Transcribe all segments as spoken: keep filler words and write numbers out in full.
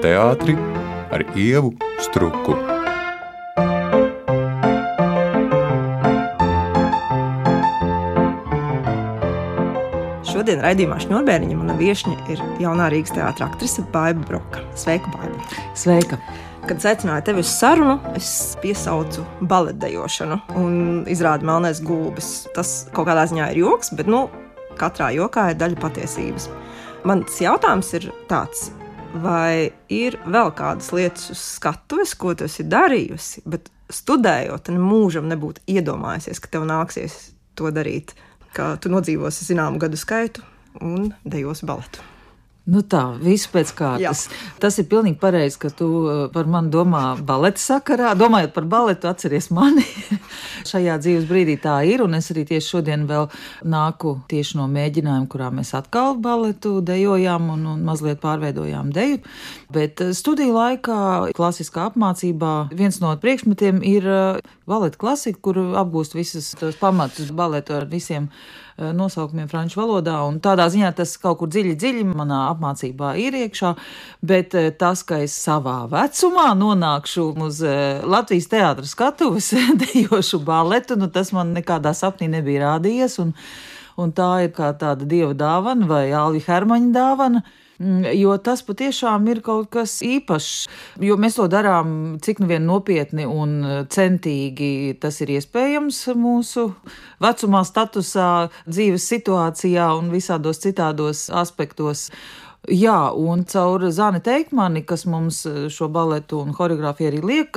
teātri ar Ievu Struku. Šodien raidījumā Šņurbēriņa mana viešņa ir jaunā Rīgas teātra aktrise Baiba Broka. Sveika, Baiba! Sveika! Kad aicināju tevi uz sarunu, es piesaucu baletdejošanu un izrādu Melnais gulbis. Tas kaut kādā ziņā ir joks, bet nu, katrā jokā ir daļa patiesības. Mans jautājums ir tāds, vai ir vēl kādas lietas uz skatuves, ko tu esi darījusi, bet studējot, nemūžam nebūtu iedomājusies, ka tev nāksies to darīt, ka tu nodzīvosi zināmu gadu skaitu un dejosi baletu. Nu tā, visu pēc kārtas. Jā. Tas ir pilnīgi pareizi, ka tu par mani domā baleta sakarā. Domājot par baletu, atceries mani. Šajā dzīves brīdī tā ir, un es arī tieši šodien vēl nāku tieši no mēģinājuma, kurā mēs atkal baletu dejojām un, un mazliet pārveidojām deju. Bet studiju laikā, klasiskā apmācībā, viens no priekšmetiem ir baleta klasika, kur apgūst visas tos pamatus baletu ar visiem nosaukumiem franču valodā, un tādā ziņā tas kaut kur dziļi, dziļi manā apmācībā ir iekšā, bet tas, ka es savā vecumā nonākšu uz Latvijas teātra skatuves dejošu baletu, nu tas man nekādā sapnī nebija rādījies, un, un tā ir kā tāda dieva dāvana vai Alvi Hermaņa dāvana, jo tas patiešām ir kaut kas īpašs, jo mēs to darām cik nu vien nopietni un centīgi tas ir iespējams mūsu vecumā, statusā, dzīves situācijā un visādos citādos aspektos. Jā, un caur Zani Teikmani, kas mums šo baletu un horeogrāfiju arī liek,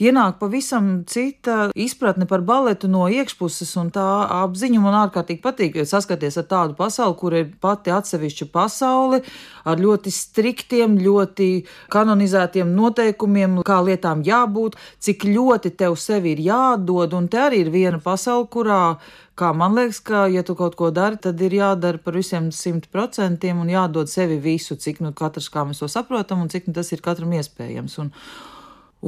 ienāk pavisam cita izpratne par baletu no iekšpuses, un tā apziņa man ārkārtīgi patīk, saskaties ar tādu pasauli, kur ir pati atsevišķa pasaule, ar ļoti striktiem, ļoti kanonizētiem noteikumiem, kā lietām jābūt, cik ļoti tev sevi ir jādod, un te arī ir viena pasaule, kurā kā man liekas, ka, ja tu kaut ko dari, tad ir jādara par visiem simt procentiem un jādod sevi visu, cik nu katrs, kā mēs to saprotam, un cik nu tas ir katram iespējams. Un,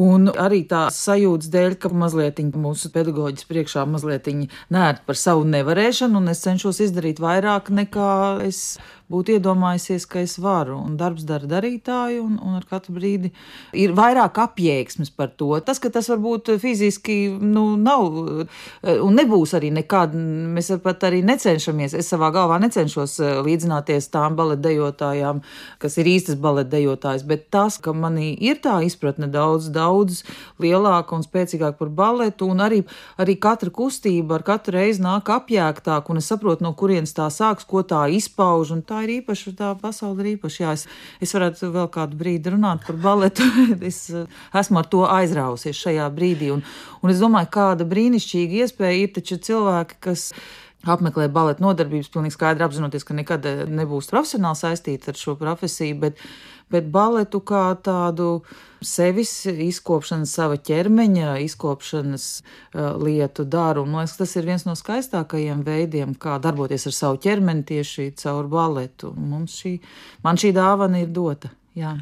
un arī tā sajūtas dēļ, ka mazliet mūsu pedagoģis priekšā mazliet nērt par savu nevarēšanu, un es cenšos izdarīt vairāk nekā es būtu iedomājusies, ka es varu, un darbs dara darītāju, un, un ar katru brīdi ir vairāk apjēgsmes par to. Tas, ka tas varbūt fiziski, nu, nav, un nebūs arī nekad, mēs pat arī necenšamies, es savā galvā necenšos līdzināties tām baletdejotājām, kas ir īstas baletdejotājs, bet tas, ka manī ir tā izpratne daudz, daudz lielāka un spēcīgāka par baletu, un arī, arī katra kustība ar katru reizi nāk apjēgtāk, un es saprotu, no kurienes tā sāks, ko tā izpauž, un tā ir īpaša, tā pasaule ir īpaša. Jā, es, es varētu vēl kādu brīdi runāt par baletu. Es esmu ar to aizrausies šajā brīdī. Un, un es domāju, kāda brīnišķīga iespēja ir taču cilvēki, kas apmeklē baleta nodarbības, pilnīgi skaidri apzinoties, ka nekad nebūs profesionāli saistīti ar šo profesiju, bet, bet baletu kā tādu sevis izkopšanas, sava ķermeņa izkopšanas uh, lietu daru. Un, man liekas, tas ir viens no skaistākajiem veidiem, kā darboties ar savu ķermeni tieši caur baletu. Mums šī, man šī dāvana ir dota, jā.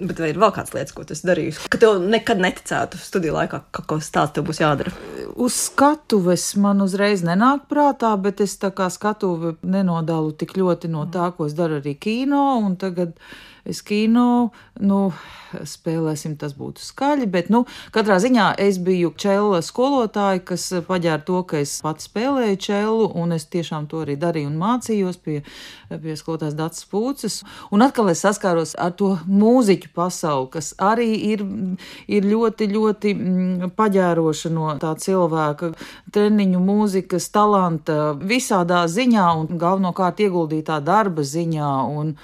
Bet vai ir vēl kāds lietas, ko tu esi darījusi? Ka tev nekad neticētu studiju laikā, ka kaut kas tāds tev būs jādara? Uz skatuves man uzreiz nenāk prātā, bet es tā kā skatuvi nenodalu tik ļoti no tā, ko es daru arī kino, un tagad es kino, nu, spēlēsim, tas būtu skaļi, bet, nu, katrā ziņā es biju čela skolotāja, kas paģēra to, ka es pats spēlēju čelu, un es tiešām to arī darīju un mācījos pie, pie skolotājas Dacas Pūces, un atkal es saskāros ar to mūziķu pasauli, kas arī ir, ir ļoti, ļoti paģēroša no tā cilvēka treniņu, mūzikas, talanta, visādā ziņā, un galvenokārt ieguldītā darba ziņā, un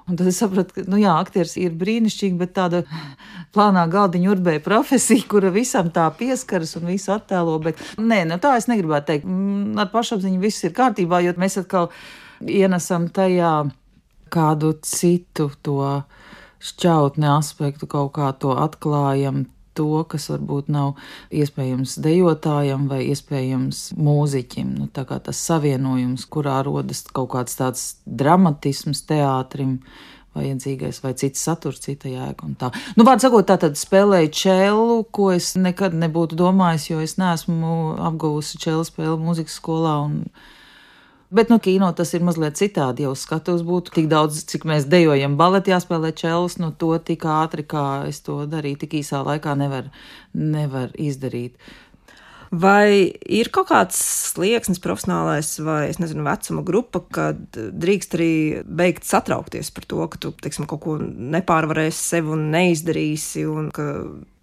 Un tad es sapratu, ka, nu jā, aktieris ir brīnišķīgi, bet tāda plānā galdiņa urbēja profesija, kura visam tā pieskaras un visu attēlo, bet nē, nu tā es negribētu teikt. Ar pašapziņu viss ir kārtībā, jo mēs atkal ienesam tajā kādu citu to šķautni aspektu, kaut kā to atklājam, to, kas varbūt nav iespējams dejotājam vai iespējams mūziķim. Nu, tā kā tas savienojums, kurā rodas kaut kāds tāds dramatisms teātrim, vajadzīgais vai cits saturs, cita jēga un tā. Nu, vārds sakot, tā tad spēlēju čelu, ko es nekad nebūtu domājis, jo es neesmu apguvusi čelu spēli mūzikas skolā un Bet no kino tas ir mazliet citādi, jau skatos būtu tik daudz, cik mēs dejojam baleti jāspēlē čels, no to tik ātri, kā es to darīju, tik īsā laikā nevar, nevar izdarīt. Vai ir kaut kāds slieksnis profesionālais vai, es nezinu, vecuma grupa, kad drīkst arī beigt satraukties par to, ka tu, teiksim, kaut ko nepārvarēsi sev un neizdarīsi un ka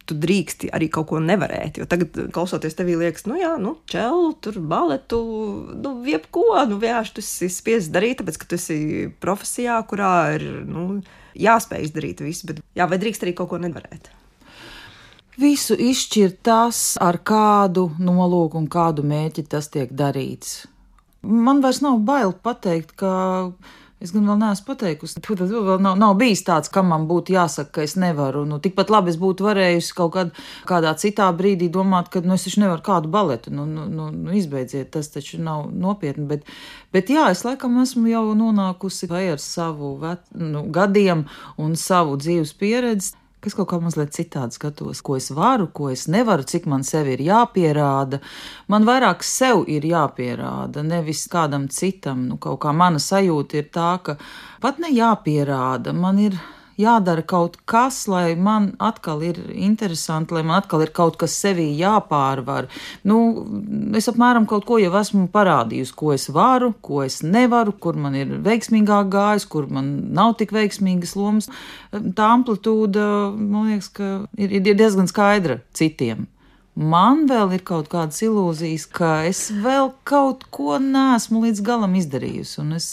tu drīksti arī kaut ko nevarēt, jo tagad, klausoties tevī, liekas, nu jā, nu, čelu, tur baletu, nu, jebko, nu, vienkārši tu esi spiests darīt, tāpēc, ka tu esi profesijā, kurā ir, nu, jāspēj izdarīt visu, bet jā, vai drīkst arī kaut ko nevarēt? Visu izšķir tas, ar kādu nolūku un kādu mērķi tas tiek darīts. Man vairs nav bail pateikt, ka es gan vēl neesmu pateikusi, tad vēl nav, nav bijis tāds, kam man būtu jāsaka, ka es nevaru. Nu, tikpat labi es būtu varējusi kaut kād, kādā citā brīdī domāt, ka nu, es taču nevaru kādu baletu, nu, nu, nu, nu izbeidziet, tas taču nav nopietni. Bet, bet jā, es laikam esmu jau nonākusi vai ar savu vet, nu, gadiem un savu dzīves pieredzi, ka es kaut kā mazliet citādi skatos, ko es varu, ko es nevaru, cik man sevi ir jāpierāda. Man vairāk sev ir jāpierāda, nevis kādam citam. Nu, kaut kā mana sajūta ir tā, ka pat ne jāpierāda, man ir jādara kaut kas, lai man atkal ir interesanti, lai man atkal ir kaut kas sevī jāpārvar. Nu, es apmēram kaut ko jau esmu parādījusi, ko es varu, ko es nevaru, kur man ir veiksmīgāk gājis, kur man nav tik veiksmīgas lomas. Tā amplitūda, man liekas, ka ir, ir diezgan skaidra citiem. Man vēl ir kaut kādas ilūzijas, ka es vēl kaut ko neesmu līdz galam izdarījusi, un es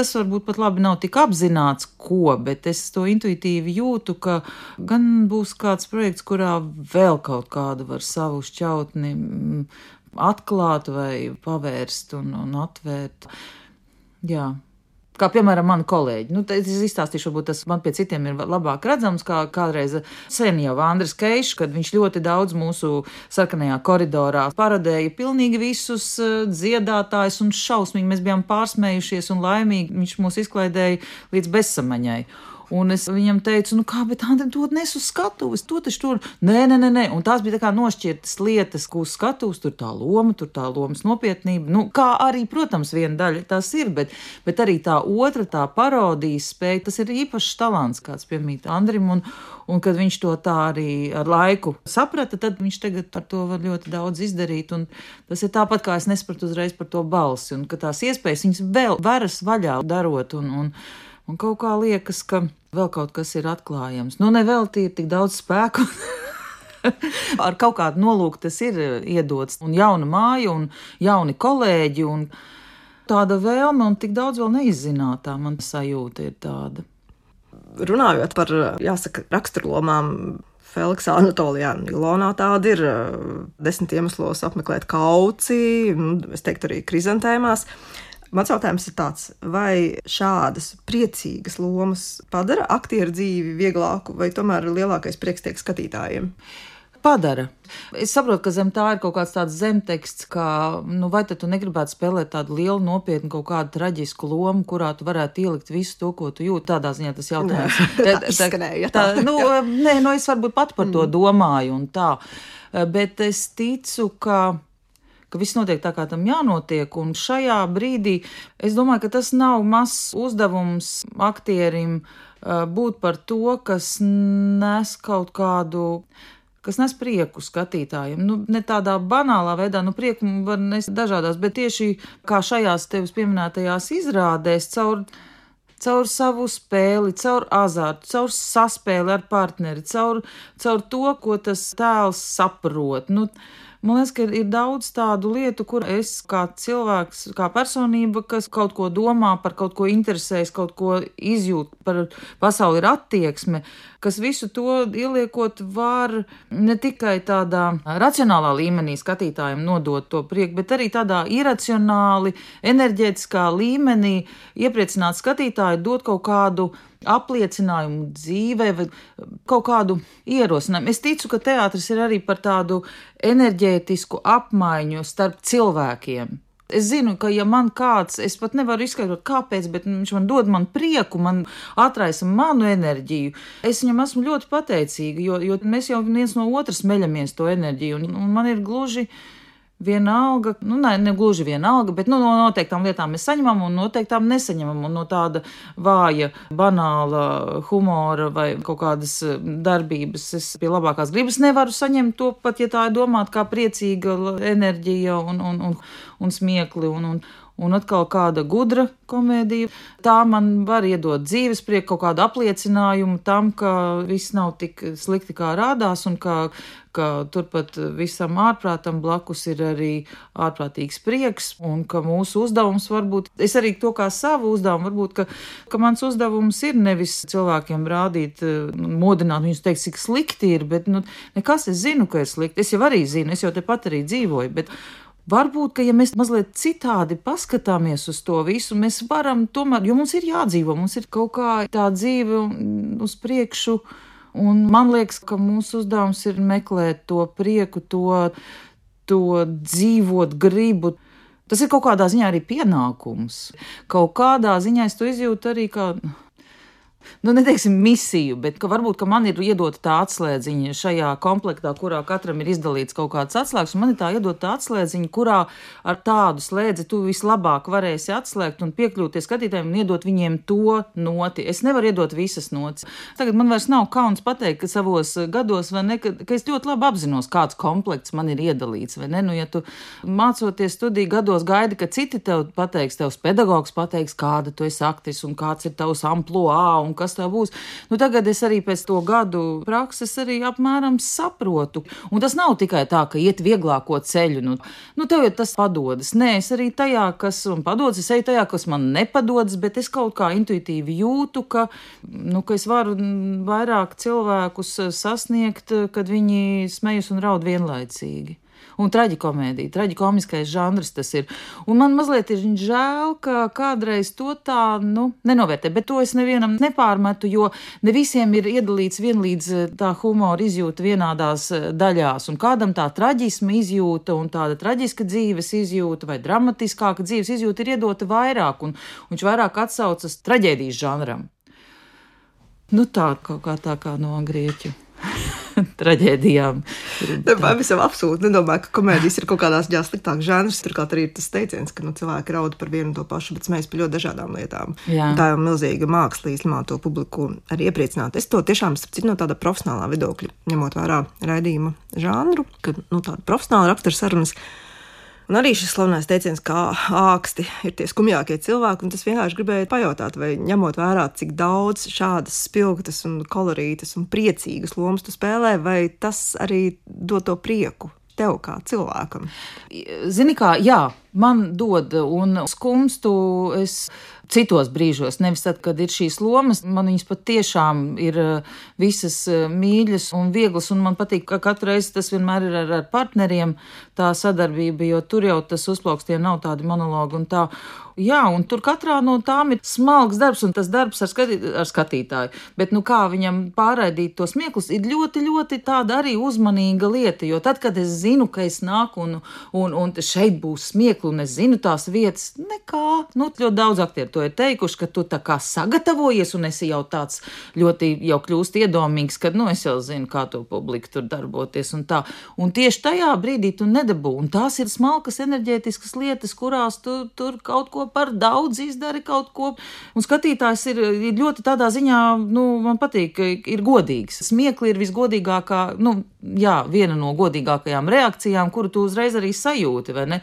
tas varbūt pat labi nav tik apzināts, ko, bet es to intuitīvi jūtu, ka gan būs kāds projekts, kurā vēl kaut kādu var savu šķautni atklāt vai pavērst un, un atvērt. Jā. Kā piemēram mani kolēģi. Nu, es izstāstīšu, varbūt tas man pie citiem ir labāk redzams, kā kādreiz sen jau Andris Keišs, kad viņš ļoti daudz mūsu sarkanajā koridorā paradēja pilnīgi visus dziedātājus un šausmīgi. Mēs bijām pārsmējušies un laimīgi. Viņš mūs izklaidēja līdz bezsamaņai. Un es viņam teicu, nu kā, bet Andri, to nes uz skatuves, to taču tur, nē, nē, nē, nē. Un tās bija tā kā nošķirtas lietas, ko uz skatuves, tur tā loma, tur tā lomas nopietnība. Nu, kā arī, protams, viena daļa tās ir, bet, bet arī tā otra, tā parodijas spēja, tas ir īpašs talants, kāds piemīt Andrim, un, un kad viņš to tā arī ar laiku saprata, tad viņš tagad ar to var ļoti daudz izdarīt, un tas ir tāpat, kā es nespratu uzreiz par to balsi, un ka tās iespējas viņas vēl veras vaļā darot, un, un Un kaut kā liekas, ka vēl kaut kas ir atklājams. Nu, nevelti ir tik daudz spēku. Ar kaut kādu nolūku tas ir iedots. Un jauna māja, un jauni kolēģi, un tāda vēlme, un tik daudz vēl neizzinātā man sajūta ir tāda. Runājot par, jāsaka, raksturlomām, Feliksā Anatolijā Ilonā tāda ir desmit iemeslos apmeklēt kauci, es teiktu arī krizantēmās. Mans jautājums ir tāds, vai šādas priecīgas lomas padara aktieru dzīvi vieglāku, vai tomēr lielākais prieks tiek skatītājiem? Padara. Es saprotu, ka zem tā ir kaut kāds tāds zemteksts, ka, nu, vai tad tu negribētu spēlēt tādu lielu, nopietnu, kaut kādu traģisku lomu, kurā tu varētu ielikt visu to, ko tu jūti. Tādā ziņā tas jautājums. Tā izskanēja. Tā, nu, nē, nu, es varbūt pat par to domāju un tā. Bet es ticu, ka ka viss notiek tā, kā tam jānotiek, un šajā brīdī es domāju, ka tas nav mazs uzdevums aktierim būt par to, kas nes kaut kādu, kas nes prieku skatītājiem. Nu, ne tādā banālā veidā, nu prieku var nest dažādās, bet tieši kā šajās tevis pieminētajās izrādēs, caur, caur savu spēli, caur azartu, caur saspēli ar partneri, caur, caur to, ko tas tēls saprot. Nu, Man liekas, ka ir daudz tādu lietu, kur es kā cilvēks, kā personība, kas kaut ko domā, par kaut ko interesējas, kaut ko izjūt, par pasauli ir attieksme, kas visu to ieliekot var ne tikai tādā racionālā līmenī skatītājiem nodot to prieku, bet arī tādā iracionāli, enerģētiskā līmenī iepriecināt skatītāju, dot kaut kādu apliecinājumu dzīvē vai kaut kādu ierosinājumu. Es ticu, ka teātris ir arī par tādu enerģētisku apmaiņu starp cilvēkiem. Es zinu, ka ja man kāds, es pat nevaru izskaidrot kāpēc, bet viņš man dod man prieku, man atraisa manu enerģiju. Es viņam esmu ļoti pateicīga, jo, jo mēs jau viens no otras meļamies to enerģiju, un, un man ir gluži vienalga, nu, ne, ne gluži vienalga, bet nu, no noteiktām lietām mēs saņemam un noteiktām nesaņemam. Un no tāda vāja, banāla humora vai kaut kādas darbības es pie labākās gribas nevaru saņemt to pat, ja tā ir domāta kā priecīga enerģija un, un, un, un smiekli un, un Un atkal kāda gudra komēdija. Tā man var iedot dzīves prieku, kaut kādu apliecinājumu tam, ka viss nav tik slikti, kā rādās, un ka, ka turpat visam ārprātam blakus ir arī ārprātīgs prieks, un ka mūsu uzdevums varbūt, es arī to kā savu uzdevumu, varbūt, ka, ka mans uzdevums ir nevis cilvēkiem rādīt, modināt viņus teikt, cik slikti ir, bet nu, nekas, es zinu, ka ir slikti. Es jau arī zinu, es jau tepat arī dzīvoju, bet varbūt, ka ja mēs mazliet citādi paskatāmies uz to visu, mēs varam tomēr, jo mums ir jādzīvo, mums ir kaut kā tā dzīve uz priekšu, un man liekas, ka mūsu uzdevums ir meklēt to prieku, to, to dzīvot gribu. Tas ir kaut kādā ziņā arī pienākums. Kaut kādā ziņā es to izjūtu arī kā, nu, neteiksim misiju, bet ka varbūt, ka man ir iedota tā atslēdziņa šajā komplektā, kurā katram ir izdalīts kaut kāds atslēgs, un man ir tā iedota tā atslēdziņa, kurā ar tādu slēdzi tu vislabāk varēsi atslēgt un piekļūties skatītājiem un iedot viņiem to noti. Es nevaru iedot visas notis. Tagad man vairs nav kauns pateikt, ka savos gados, vai ne, ka, ka es ļoti labi apzinos, kāds komplekts man ir iedalīts, vai ne? Nu, ja tu mācoties studiju gados gaidi, ka citi tev pateiks, tevs pedagogs pateiks, kāda tu esi aktris un kāds ir tavs amploā un kas tā būs. Nu, tagad es arī pēc to gadu prakses arī apmēram saprotu. Un tas nav tikai tā, ka iet vieglāko ceļu. Nu, nu tev jau tas padodas. Nē, es arī tajā, kas man padodas, es eju tajā, kas man nepadodas, bet es kaut kā intuitīvi jūtu, ka, nu, ka es varu vairāk cilvēkus sasniegt, kad viņi smejas un raud vienlaicīgi. Un traģikomēdija, traģikomiskais žanrs tas ir. Un man mazliet ir žēl, ka kādreiz to tā, nu, nenovērtē, bet to es nevienam nepārmetu, jo ne visiem ir iedalīts vienlīdz tā humora izjūta vienādās daļās, un kādam tā traģisma izjūta un tāda traģiska dzīves izjūta vai dramatiskāka dzīves izjūta ir iedota vairāk, un viņš vairāk atsaucas traģēdijas žanram. Nu tā, kaut kā tā kā no grieķu traģēdijām. Pavisam absolūti nedomāju, ka komēdijas ir kaut kādās jā, sliktāks žanrs. Turklāt arī ir tas teiciens, ka nu, cilvēki raud par vienu to pašu, bet smējas par ļoti dažādām lietām. Tā jau milzīga māksla īstenībā to publiku arī iepriecināt. Es to tiešām starp citu no tāda profesionālā viedokļa, ņemot vērā raidījuma žanru, ka nu, tāda profesionāla rakstura sarunas. Un arī šis slavenais teiciens, kā āksti ir tie skumjākie cilvēki, un tas vienkārši gribēja pajautāt, vai ņemot vērā, cik daudz šādas spilgtas un kolorītas un priecīgas lomas tu spēlē, vai tas arī dod to prieku tev kā cilvēkam? Zini kā, jā, man dod, un skumstu es citos brīžos, nevis tad, kad ir šīs lomas, man viņas pat tiešām ir visas mīļas un vieglas, un man patīk, ka katru reizi tas vienmēr ir ar, ar partneriem tā sadarbība, jo tur jau tas uzplaukstie nav tādi monologi un tā. Jā, un tur katrā no tām ir smalks darbs, un tas darbs ar, skatī, ar skatītāju. Bet, nu, kā viņam pārraidīt tos smieklus, ir ļoti, ļoti tāda arī uzmanīga lieta, jo tad, kad es zinu, ka es nāku un, un, un šeit būs smiekli, un es zinu tās vietas, nekā. Nu, ļoti daudz aktieru to ir teikuši, ka tu tā kā sagatavojies, un esi jau tāds ļoti jau kļūst iedomīgs, kad, nu, es jau zinu, kā to publiku tur darboties un tā. Un tieši tajā brīdī tu nedabū, un tās ir smalkas enerģētiskas lietas, kurās tu tur kaut ko par daudz izdari kaut ko, un skatītājs ir, ir ļoti tādā ziņā, nu, man patīk, ir godīgs. Smiekli ir visgodīgākā, nu, jā, viena no godīgākajām reakcijām, kuru tu uzreiz arī sajūti, vai ne?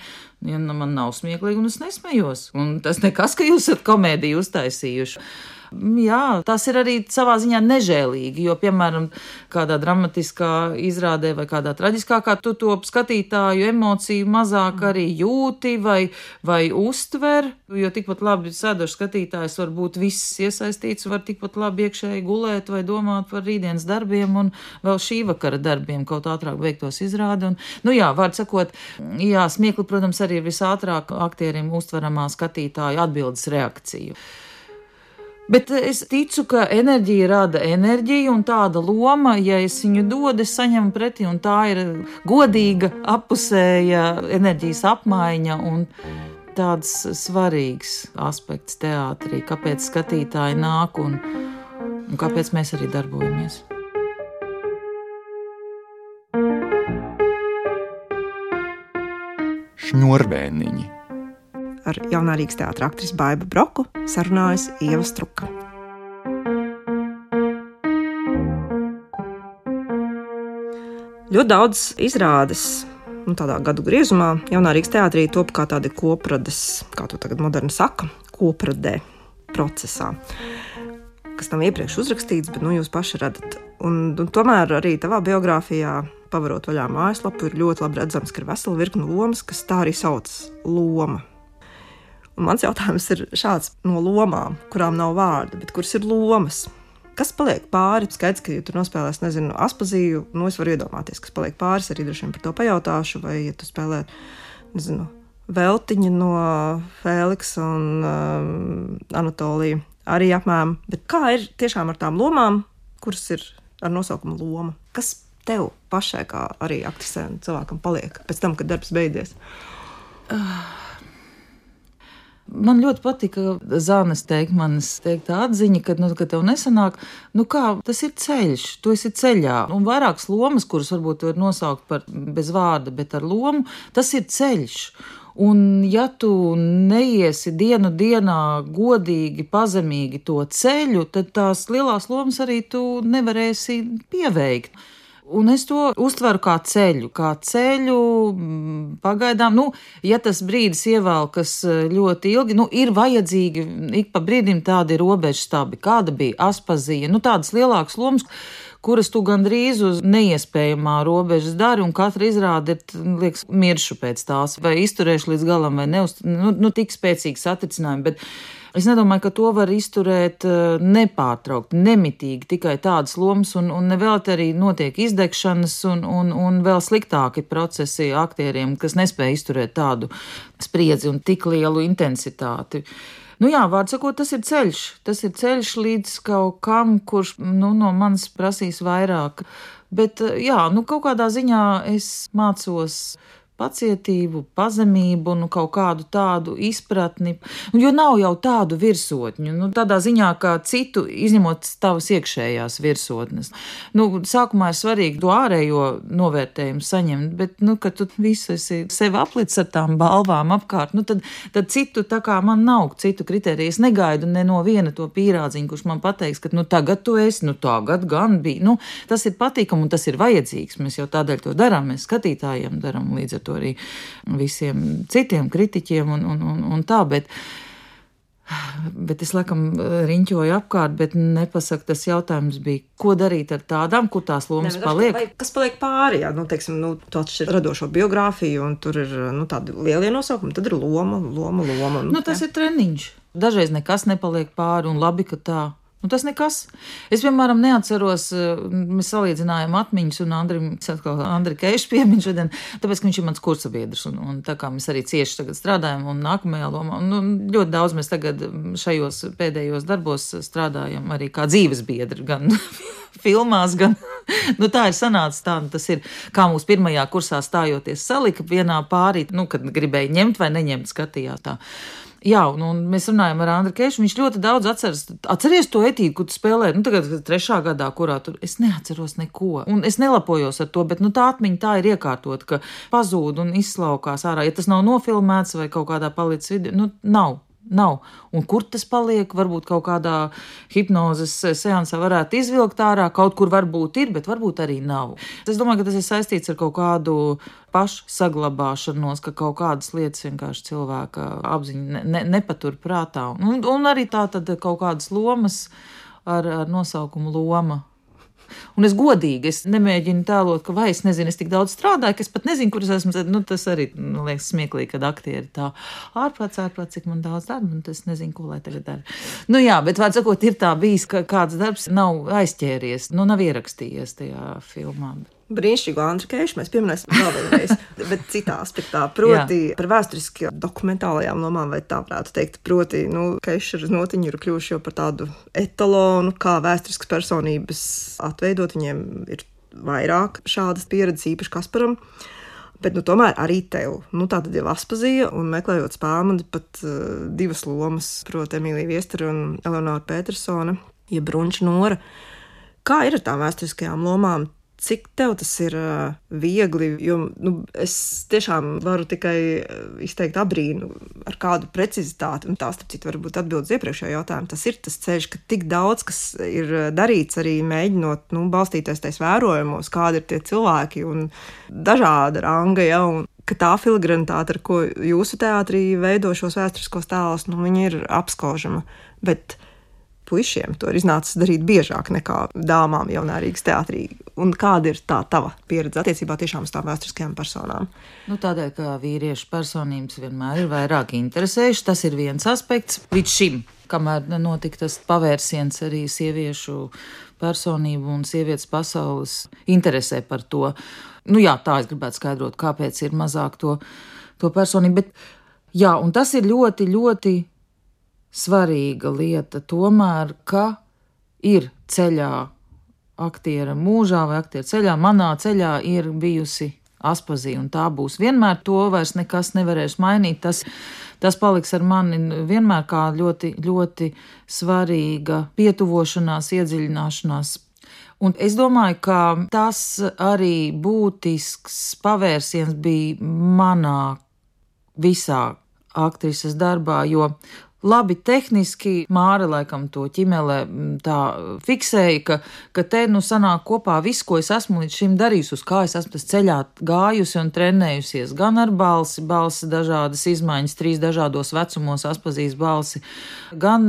Ja man nav smieklīgi, un es nesmejos. Un tas nekas, ka jūs esat komēdiju uztaisījuši. Jā, tas ir arī savā ziņā nežēlīgi, jo, piemēram, kādā dramatiskā izrādē vai kādā traģiskākā tu to skatītāju emociju mazāk arī jūti vai, vai uztver, jo tikpat labi sēdošs skatītājs var būt viss iesaistīts, var tikpat labi iekšēji gulēt vai domāt par rītdienas darbiem un vēl šī vakara darbiem, kaut ātrāk beigtos izrādi. Un, nu jā, vārds sakot, jā, smiekli, protams, arī ir visātrāk aktierim uztveramā skatītāju atbildes reakciju. Bet es ticu, ka enerģija rada enerģiju, un tāda loma, ja es viņu dodu, es saņemu pretī, un tā ir godīga, appusēja enerģijas apmaiņa un tāds svarīgs aspekts teātrī, kāpēc skatītāji nāk un, un kāpēc mēs arī darbojamies. šņurvēniņi. Ar Jaunā Rīgas teātra aktrisi Baibu Broku sarunājas Ieva Struka. Ļoti daudz izrādes, nu, tādā gadu griezumā, Jaunā Rīgas teātrī top kā tādi koprades, kā to tagad moderni saka, kopradē procesā, kas nav iepriekš uzrakstīts, bet nu, jūs paši redzat. Un, un tomēr arī tavā biogrāfijā, pavarot vaļā mājaslapu, ir ļoti labi redzams, ka ir vesela virkne lomas, kas tā arī sauc loma. Un mans jautājums ir šāds: no lomām, kurām nav vārda, bet kuras ir lomas, kas paliek pāri? Skaidrs, ka, ja tu nospēlēsi, nezinu, Aspaziju, nu es varu iedomāties, kas paliek pāris, arī droši vien par to pajautāšu, vai ja tu spēlē, nezinu, Veltiņa no Fēliksa un um, Anatolija, arī apmēram. Bet kā ir tiešām ar tām lomām, kuras ir ar nosaukumu loma? Kas tev pašai, kā arī aktrisēm, cilvēkam paliek pēc tam, kad darbs beidzies? Man ļoti patika Zānes Teikmanes teiktā atziņa, ka, nu, ka tev nesanāk, nu kā, tas ir ceļš, tu esi ceļā. Un vairākas lomas, kuras varbūt var nosaukt par bez vārda, bet ar lomu, tas ir ceļš. Un ja tu neiesi dienu dienā godīgi, pazemīgi to ceļu, tad tās lielās lomas arī tu nevarēsi pieveikt. Un es to uztveru kā ceļu, kā ceļu pagaidām. Nu, ja tas brīdis ievelkas ļoti ilgi, nu, ir vajadzīgi ik pa brīdim tādi robežstabi, kāda bija Aspazija, nu, tādas lielākas lomas, kuras tu gandrīz uz neiespējamā robežas dari, un katra izrāde ir, liekas, miršu pēc tās, vai izturēšu līdz galam, vai neuz, nu, nu, tik spēcīgi satricinājumi, bet es nedomāju, ka to var izturēt nepārtraukti, nemitīgi, tikai tādas lomas, un, un vēl arī notiek izdegšanas, un, un, un vēl sliktāki procesi aktieriem, kas nespēja izturēt tādu spriedzi un tik lielu intensitāti. Nu jā, vārds sakot, tas ir ceļš. Tas ir ceļš līdz kaut kam, kurš, nu, no manis prasīs vairāk. Bet, jā, nu, kaut kādā ziņā es mācos pacietību, pazemību, nu, kaut kādu tādu izpratni, jo nav jau tādu virsotņu, nu, tādā ziņā, kā citu, izņemot tavas iekšējās virsotnes. Nu, sākumā ir svarīgi to ārējo novērtējumu saņemt, bet, nu, kad tu visu esi sevi aplicis ar tām balvām apkārt, nu, tad, tad citu, tā kā man nav citu kriteriju, es negaidu ne no viena to pīrādziņu, kurš man pateiks, ka, nu, tagad tu esi, nu, tagad gan bija, nu, tas ir patīkam un tas ir vajadzīgs, mēs jau tādēļ to darām, mēs skatītājiem darām līdz ar to arī visiem citiem kritiķiem un, un, un, un tā, bet, bet es laikam riņķoju apkārt, bet nepasaku, tas jautājums bija, ko darīt ar tādām, kur tās lomas ne, paliek. Vai, kas paliek pāri, jā, nu, teiksim, nu, tu atšķir radošo biogrāfiju un tur ir, nu, tādi lielie nosaukumi, tad ir loma, loma, loma. Nu, nu, tas jā. Ir treniņš. Dažreiz nekas nepaliek pāri un labi, ka tā. Nu, tas nekas. Es, piemēram, neatceros, mēs salīdzinājām atmiņas un Andrim, atkal Andri Keišu piemiņu šodien, tāpēc, ka viņš ir mans kursabiedrs un, un tā kā mēs arī cieši tagad strādājam un nākamajā lomā, un, un ļoti daudz mēs tagad šajos pēdējos darbos strādājam arī kā dzīves biedri, gan filmās, gan, nu tā ir sanācis tā, nu tas ir, kā mūsu pirmajā kursā stājoties salika vienā pārī, nu, kad gribēja ņemt vai neņemt, skatījās tā. Jā, un, un mēs runājam ar Andri Keišu, viņš ļoti daudz atceras, atceries to etīdu, kur tu spēlē, nu tagad trešā gadā, kurā tur, es neatceros neko, un es nelapojos ar to, bet, nu tā atmiņa tā ir iekārtot, ka pazūd un izslaukās ārā, ja tas nav nofilmēts vai kaut kādā palicis video, nu nav. Nav. Un kur tas paliek? Varbūt kaut kādā hipnozes seansā varētu izvilkt ārā, kaut kur varbūt ir, bet varbūt arī nav. Es domāju, ka tas ir saistīts ar kaut kādu pašu saglabāšanos, ka kaut kādas lietas vienkārši cilvēka apziņa ne, ne, nepatur prātā. Un, un arī tā tad kaut kādas lomas ar, ar nosaukumu loma. Un es godīgi, es nemēģinu tēlot, ka vai es nezinu, es tik daudz strādāju, ka es pat nezinu, kur es esmu. Nu, tas arī, nu, liekas smieklīgi, kad aktieri tā ārprāts, ārprāts, cik man daudz darba, un es nezinu, ko lai tagad dara. Nu jā, bet vārds sakot, ir tā bijis, ka kāds darbs nav aizķēries, nu nav ierakstījies tajā filmā. Brīnišķīgu Andri Keišu mēs pieminēsim vēl vienreiz, bet citā aspektā, proti jā. Par vēsturiski dokumentālajām lomām, vai tā varētu teikt, proti, nu, Keiša ar Notiņu ir kļuvuši jau par tādu etalonu, kā vēsturiskas personības atveidot, viņiem ir vairāk šādas pieredzes, īpaši Kasparam, bet, nu, tomēr arī tev, nu, tā tad jau Aspazija, un meklējot Spēlmani pat uh, divas lomas, proti Emīlija Viestera un Eleonora Petersone, ja Brunča Nora. Kā ir ar tām vēsturiskajām lomām? cik tev tas ir uh, viegli, jo nu, es tiešām varu tikai izteikt abrīnu ar kādu precizitāti, un tās, starp citu, varbūt atbildes iepriekšējā jautājumu. Tas ir tas ceļš, ka tik daudz, kas ir darīts arī mēģinot, nu, balstīties tais vērojumos, kādi ir tie cilvēki un dažāda ranga, ja, un ka tā filigranitāte, ar ko jūsu teātrī veido šos vēsturiskos tēlus, nu, viņi ir apskaužama, bet puišiem to ir iznācis darīt biežāk nekā dāmām jaunā Rīgas teātrī. Un kāda ir tā tava pieredze attiecībā tiešām uz tām vēsturiskajām personām? Nu, tādēļ, ka vīriešu personības vienmēr ir vairāk interesējuši, tas ir viens aspekts līdz šim, kamēr notika tas pavērsiens arī sieviešu personību un sievietes pasaules interesē par to. Nu jā, tā es gribētu skaidrot, kāpēc ir mazāk to, to personību, bet jā, un tas ir ļoti, ļoti svarīga lieta tomēr, ka ir ceļā aktiera mūžā vai aktiera ceļā, manā ceļā ir bijusi Aspazija, un tā būs vienmēr, to vairs nekas nevarēs mainīt, tas, tas paliks ar mani vienmēr kā ļoti, ļoti svarīga pietuvošanās, iedziļināšanās. Un es domāju, ka tas arī būtisks pavērsiens bija manā visā aktrises darbā, jo labi, tehniski Māra laikam to ķimele tā fiksēja, ka, ka te nu sanāk kopā viss, ko es esmu līdz šim darījusi, uz kā es esmu tas ceļā gājusi un trenējusies, gan ar balsi, balsi dažādas izmaiņas, trīs dažādos vecumos Aspazijas balsi, gan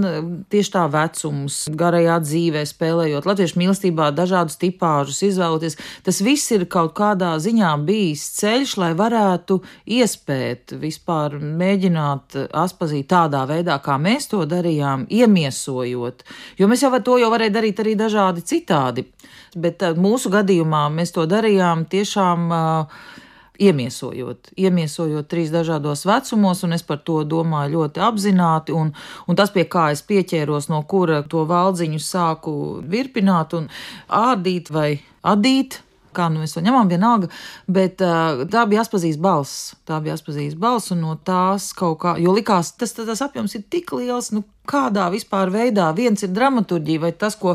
tieši tā vecums, garajā dzīvē spēlējot, latviešu mīlestībā dažādus tipāžus izvēloties. Tas viss ir kaut kādā ziņā bijis ceļš, lai varētu iespēt vispār mēģināt Aspaziju tādā veidā, kā mēs to darījām, iemiesojot, jo mēs jau to jau varēja darīt arī dažādi citādi, bet mūsu gadījumā mēs to darījām tiešām uh, iemiesojot, iemiesojot trīs dažādos vecumos, un es par to domāju ļoti apzināti, un, un tas, pie kā es pieķēros, no kura to valdziņu sāku virpināt un ārdīt vai adīt, kā nu mēs to ņemam, vienalga, bet uh, tā bija Aspazijas balss, tā bija Aspazijas balss, un no tās kaut kā, jo likās, tas, tas apjoms ir tik liels, nu kādā vispār veidā, viens ir dramaturģija, vai tas, ko,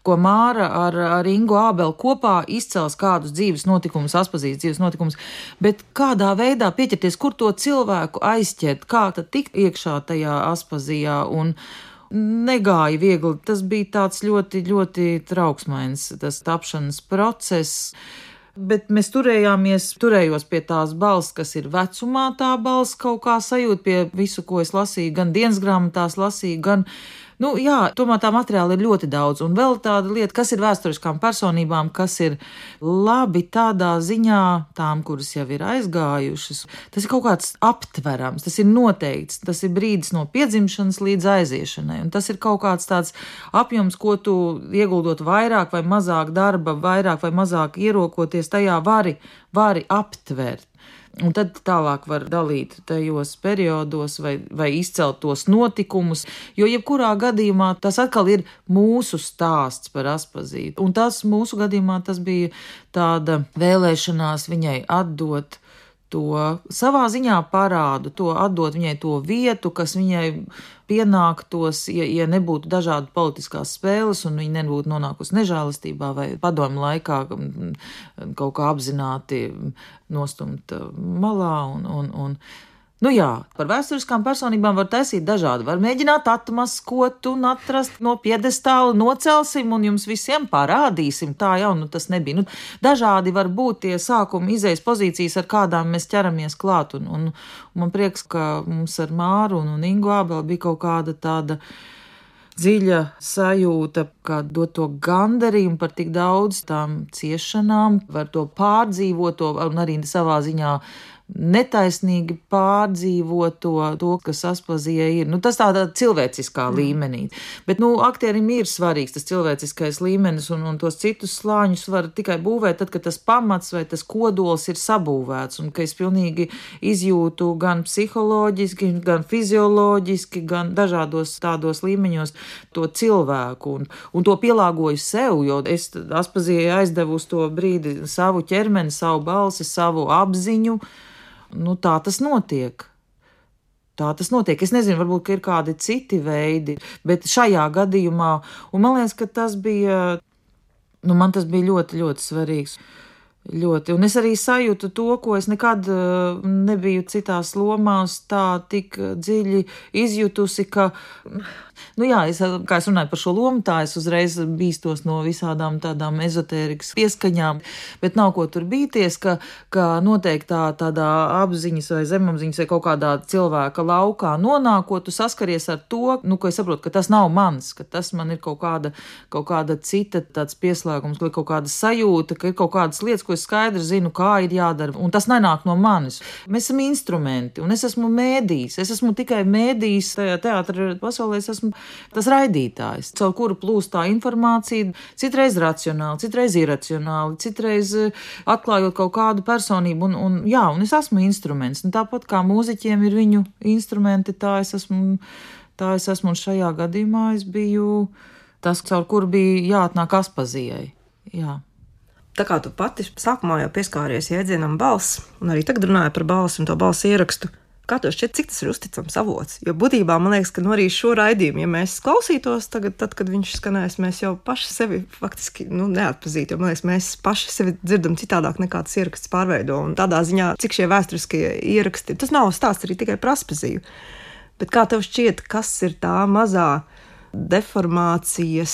ko Māra ar, ar Ingu Ābeli kopā izcels kādus dzīves notikumus, Aspazijas dzīves notikumus, bet kādā veidā pieķerties, kur to cilvēku aizķert, kā tad tikt iekšā tajā Aspazijā, un negāja viegli, tas bija tāds ļoti, ļoti trauksmains, tas tapšanas process, bet mēs turējāmies, turējos pie tās balss, kas ir vecumā tā balss, kaut kā sajūt pie visu, ko es lasīju, gan dienas grāmatās lasīju, gan, nu jā, tomēr tā materiāla ir ļoti daudz, un vēl tāda lieta, kas ir vēsturiskām personībām, kas ir labi tādā ziņā tām, kuras jau ir aizgājušas, tas ir kaut kāds aptverams, tas ir noteikts, tas ir brīdis no piedzimšanas līdz aiziešanai, un tas ir kaut kāds tāds apjoms, ko tu ieguldot vairāk vai mazāk darba, vairāk vai mazāk ierokoties, tajā vari, vari aptvert. Un tad tālāk var dalīt tajos periodos vai, vai izcelt tos notikumus, jo jebkurā gadījumā tas atkal ir mūsu stāsts par Aspaziju. Un tas mūsu gadījumā tas bija tāda vēlēšanās viņai atdot to savā ziņā parādu, to atdot viņai to vietu, kas viņai pienāktos, ja, ja nebūtu dažādi politiskās spēles un viņa nebūtu nonākusi nežēlastībā vai padomu laikā kaut kā apzināti nostumt malā un, un, un nu jā, par vēsturiskām personībām var taisīt dažādi. Var mēģināt atmaskot un atrast no piedestāla, nocelsim un jums visiem parādīsim. Tā jau nu tas nebija. Nu, dažādi var būt tie sākuma izejas pozīcijas, ar kādām mēs ķeramies klāt. Un, un, un man prieks, ka mums ar Māru un, un Ingu Ābeli bija kaut kāda tāda dziļa sajūta, kā dot to gandarījumu par tik daudz tām ciešanām, var to pārdzīvot to, un arī savā ziņā netaisnīgi pārdzīvot to, to, kas Aspazijai ir. Nu, tas tādā cilvēciskā mm. līmenī. Bet, nu, aktierim ir svarīgs tas cilvēciskais līmenis, un, un tos citus slāņus var tikai būvēt tad, kad tas pamats vai tas kodols ir sabūvēts, un ka es pilnīgi izjūtu gan psiholoģiski, gan fizioloģiski, gan dažādos tādos līmeņos to cilvēku, un, un to pielāgoju sev, jo es Aspazijai aizdevu uz to brīdi savu ķermeni, savu balsi, savu apziņu. Nu, tā tas notiek. Tā tas notiek. Es nezinu, varbūt, ka ir kādi citi veidi, bet šajā gadījumā, un man liekas, ka tas bija Nu, man tas bija ļoti, ļoti svarīgs. Ļoti. Un es arī sajūtu to, ko es nekad nebiju citās lomās tā tik dziļi izjutusi, ka, nu jā, es, kā es runāju par šo lomu, tā es uzreiz bīstos no visādām tādām ezotērikas pieskaņām, bet nav ko tur bīties, ka, ka noteikti tā, tādā apziņas vai zemapziņas vai kaut kādā cilvēka laukā nonākot, tu saskaries ar to, nu, ko es saprotu, ka tas nav mans, ka tas man ir kaut kāda, kaut kāda cita tāds pieslēgums, vai kaut kāda sajūta, ka ir kaut kādas lietas, ko es skaidri zinu, kā ir jādara, un tas nenāk no manis. Mēs esam instrumenti, un es esmu mēdījis, es esmu tikai mēdījis tajā teātra pasaulē, es esmu tas raidītājs, caur kuru plūst tā informācija, citreiz racionāli, citreiz iracionāli, citreiz atklājot kaut kādu personību, un, un jā, un es esmu instruments, un tāpat kā mūziķiem ir viņu instrumenti, tā es esmu, tā es esmu, un šajā gadījumā es biju tas, caur kuru bija jāatnāk Aspazijai, jā. Tā kā tu pati sākumā jau pieskāries jēdzienam balss, un arī tagad runāju par balsi un to balss ierakstu, kā tev šķiet, cik tas ir uzticams avots? Jo būtībā man liekas, ka nu arī šo raidījumu, ja mēs klausītos tagad, tad, kad viņš skanēs, mēs jau paši sevi faktiski nu, neatpazītu, jo man liekas, mēs paši sevi dzirdam citādāk nekā tas ieraksts pārveido, un tādā ziņā, cik šie vēsturiskie ieraksti, tas nav stāsts arī tikai par Aspaziju. Bet kā tev šķiet, kas ir tā mazā deformācijas,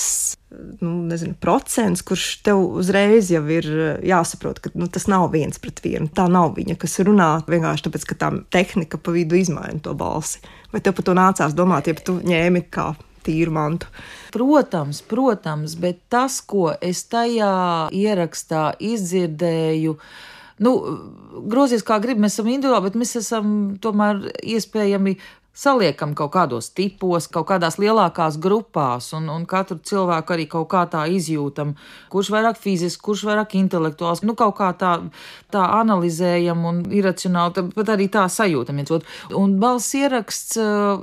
nu, nezinu, procents, kurš tev uzreiz jau ir jāsaprot, ka nu, tas nav viens pret vienu. Tā nav viņa, kas runā vienkārši tāpēc, ka tā tehnika pa vidu izmaina to balsi. Vai tev par to nācās domāt, ja tu ņēmi kā tīru mantu? Protams, protams, bet tas, ko es tajā ierakstā izdzirdēju, nu, grozies kā grib, mēs esam individuāli, bet mēs esam tomēr iespējami saliekam kaut kādos tipos, kaut kādās lielākās grupās, un, un katru cilvēku arī kaut kā tā izjūtam, kurš vairāk fiziski, kurš vairāk intelektuāls, nu kaut kā tā, tā analizējam un iracionāli, pat arī tā sajūtam viens otru. Un balss ieraksts,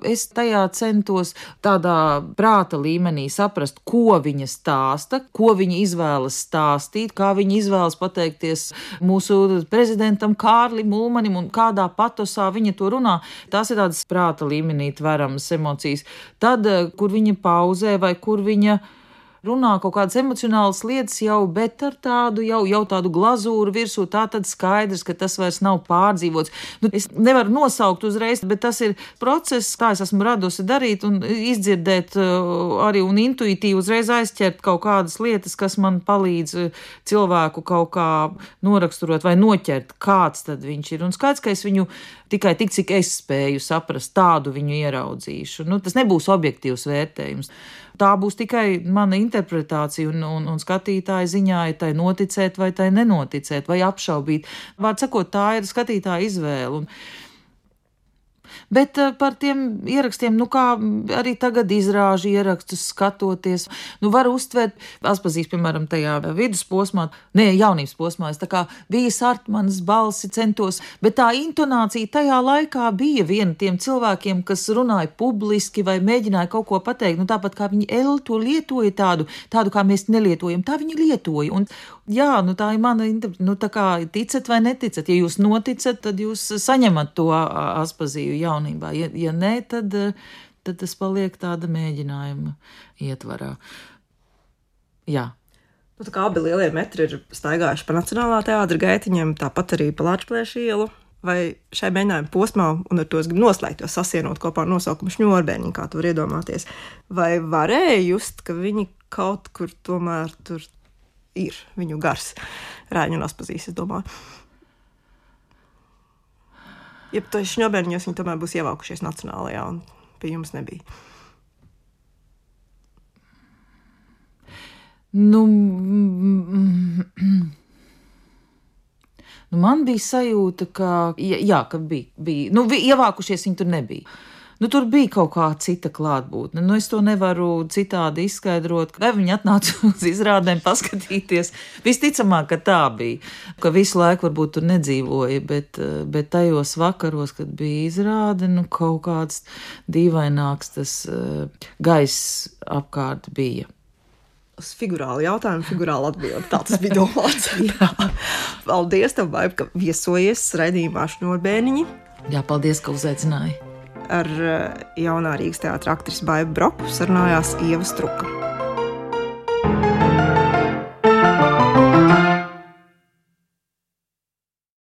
es tajā centos tādā prāta līmenī saprast, ko viņa stāsta, ko viņa izvēlas stāstīt, kā viņa izvēlas pateikties mūsu prezidentam Kārlim Ulmanim un kādā patosā viņa to runā. Tās ir tādas prāta līmenī tveramas emocijas. Tad, kur viņa pauzē vai kur viņa runā kaut kādas emocionālas lietas jau, bet ar tādu jau, jau tādu glazūru virsū, tā tad skaidrs, ka tas vairs nav pārdzīvots. Nu, es nevaru nosaukt uzreiz, bet tas ir process, kā es esmu radusi darīt un izdzirdēt arī un intuitīvi uzreiz aizķert kaut kādas lietas, kas man palīdz cilvēku kaut kā noraksturot vai noķert, kāds tad viņš ir. Un skaidrs, ka es viņu tikai tik, cik es spēju saprast, tādu viņu ieraudzīšu. Nu, tas nebūs objektīvs vērtējums. Tā būs tikai mana interpretācija un, un, un skatītāja ziņā ir tai noticēt vai tai nenoticēt vai apšaubīt. Vārds sakot, tā ir skatītāja izvēle. Un bet par tiem ierakstiem, nu kā arī tagad izrāžu ierakstus skatoties, nu var uztvert, Aspazīs, piemēram, tajā vidusposmā, ne, jaunības posmā, es tā kā Vijas Artmanas balsi centos, bet tā intonācija tajā laikā bija viena tiem cilvēkiem, kas runāja publiski vai mēģināja kaut ko pateikt, nu tāpat kā viņi El to lietoja tādu, tādu kā mēs nelietojam, tā viņi lietoja, un jā, nu tā ir mana interpretācija, nu tā kā ticat vai neticat, ja jūs noticat, tad jūs saņemat to Aspaziju jaunībā, ja, ja nē, tad, tad tas paliek tāda mēģinājuma ietvarā. Jā. Nu, tā kā abi lielie metri ir staigājuši pa Nacionālā teātra gaitiņiem, tāpat arī pa Lāčplēša ielu, vai šai mēģinājuma posmā, un ar to es gribu noslēgt, jo sasienot kopā ar nosaukumu Šņorbēniņi, kā tu var iedomāties, vai varēja just, ka viņi kaut kur tomēr tur ir viņu gars Raiņu un Aspazīs, es domāju. Ja to Šņorbēniņos viņi tomēr būs ievākušies Nacionālajā, un pie jums nebija. Nu, nu man bija sajūta, ka, jā, ka bija, bija, nu, ievākušies viņi tur nebija. Nu, tur bija kaut kā cita klātbūtne. Nu, es to nevaru citādi izskaidrot. Vai viņi atnāca uz izrādēm paskatīties? Visticamāk, ka tā bija. Ka visu laiku varbūt tur nedzīvoja, bet, bet tajos vakaros, kad bija izrāde, nu, kaut kāds dīvaināks tas uh, gaiss apkārt bija. Uz figurāli jautājumu, figurāli atbildi. Tā tas bija domāts. Paldies tev, Baiba, ka viesojies raidījumā Šņorbēniņi. Jā, paldies, ka uzaicināji. Ar jaunā Rīgas teātra aktrisi Baibu Broku sarunājās Ieva Struka.